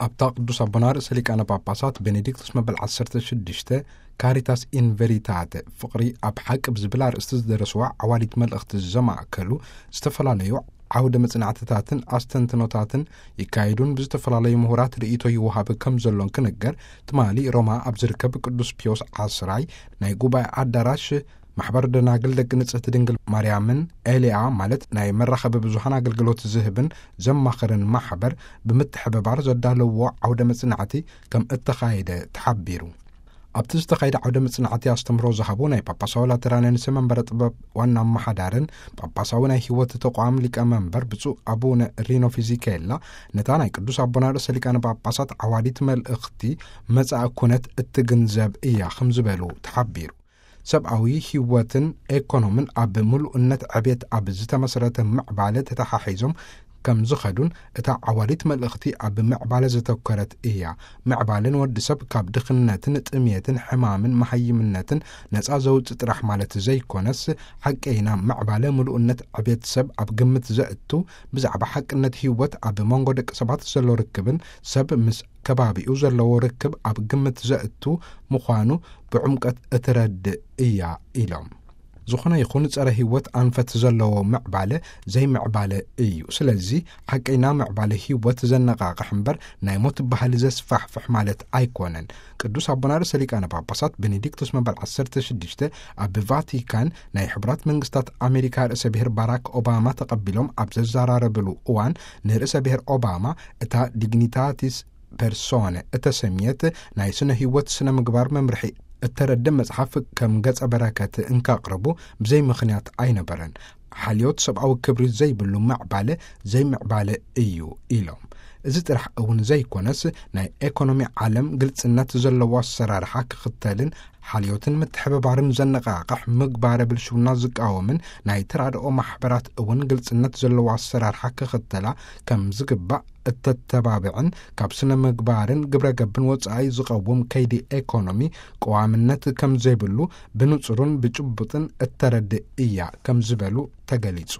ኣብታ ቅዱስ ኣቦና ርእሰ ሊቃነ ጳጳሳት ቤኔዲክቶስ መበል ዓሰርተ ሽዱሽተ፣ ካሪታስ ኢን ቬሪታተ፣ ፍቕሪ ኣብ ሓቂ ብዝብል ኣርእስቲ ዝደረስዋ ዓዋዲት መልእኽቲ ዘማእከሉ ዝተፈላለዩ ዓውደ መጽናዕትታትን ኣስተንትኖታትን ይካየዱን ብዝተፈላለዩ ምሁራት ርእይቶ ይወሃብ ከም ዘሎን ክንገር፣ ትማሊ ሮማ ኣብ ዝርከብ ቅዱስ ፒዮስ ዓስራይ ናይ ጉባኤ ኣዳራሽ ማሕበር ደናግል ደቂ ንጽህቲ ድንግል ማርያምን ኤልያ ማለት ናይ መራኸቢ ብዙሃን ኣገልግሎት ዝህብን ዘማኸርን ማሕበር ብምትሕብባር ዘዳለዎ ዓውደ መጽናዕቲ ከም እተኻየደ ተሓቢሩ። ኣብቲ ዝተኻየደ ዓውደ መጽናዕቲ ኣስተምህሮ ዝሃቡ ናይ ጳጳሳዊ ላተራንያንስ መንበረ ጥበብ ዋና ኣመሓዳርን ጳጳሳዊ ናይ ህይወት ተቋም ሊቀ መንበር ብፁዕ ኣቡነ ሪኖ ፊዚኬላ፣ ነታ ናይ ቅዱስ ኣቦና ርእሰ ሊቃነ ጳጳሳት ዓዋዲት መልእኽቲ መጻኢ ኩነት እትግንዘብ እያ ከም ዝበሉ ተሓቢሩ። ሰብኣዊ ህይወትን ኤኮኖምን ኣብ ምሉእነት ዕቤት ኣብ ዝተመስረተ ምዕባለ ተተሓሒዞም ከም ዝኸዱን እታ ዓዋዲት መልእኽቲ ኣብ ምዕባለ ዘተኮረት እያ። ምዕባለ ንወዲ ሰብ ካብ ድኽነትን ጥሜትን ሕማምን መሃይምነትን ነጻ ዘውጽእ ጥራሕ ማለት ዘይኮነስ፣ ሓቀይና ምዕባለ ምሉእነት ዕቤት ሰብ ኣብ ግምት ዘእቱ፣ ብዛዕባ ሓቅነት ህይወት ኣብ መንጎ ደቂ ሰባት ዘሎ ርክብን ሰብ ምስ ከባቢኡ ዘለዎ ርክብ ኣብ ግምት ዘእቱ ምዃኑ ብዕምቀት እትረድእ እያ ኢሎም። ዝኾነ ይኹን ጸረ ህይወት ኣንፈት ዘለዎ ምዕባለ ዘይምዕባለ እዩ። ስለዚ ሓቀይና ምዕባለ ህይወት ዘነቓቕሕ እምበር ናይ ሞት ባህሊ ዘስፋሕፍሕ ማለት ኣይኮነን። ቅዱስ ኣቦና ርእሰ ሊቃነ ጳጳሳት ቤኔዲክቶስ መበል ዓሰርተ ሽዱሽተ ኣብ ቫቲካን ናይ ሕቡራት መንግስታት ኣሜሪካ ርእሰ ብሔር ባራክ ኦባማ ተቐቢሎም ኣብ ዘዘራረብሉ እዋን፣ ንርእሰ ብሔር ኦባማ እታ ዲግኒታቲስ ፐርሶነ እተሰምየት ናይ ስነ ህይወት ስነ ምግባር መምርሒ እተረድእ መጽሓፍ ከም ገጸ በረከት እንካቕርቡ ብዘይ ምኽንያት ኣይነበረን። ሓልዮት ሰብኣዊ ክብሪ ዘይብሉ ምዕባለ ዘይምዕባለ እዩ ኢሎም። እዚ ጥራሕ እውን ዘይኮነስ፣ ናይ ኤኮኖሚ ዓለም ግልጽነት ዘለዎ ኣሰራርሓ ክኽተልን ሓልዮትን ምትሕብባርን ዘነቓቕሕ ምግባረ ብልሽውና ዝቃወምን ናይ ተራድኦ ማሕበራት እውን ግልጽነት ዘለዎ ኣሰራርሓ ክኽተላ ከም ዝግባእ እተተባብዕን ካብ ስነ ምግባርን ግብረ ገብን ወጻኢ ዝቐውም ከይዲ ኤኮኖሚ ቀዋምነት ከም ዘይብሉ ብንጹርን ብጭቡጥን እተረድእ እያ ከም ዝበሉ ተገሊጹ።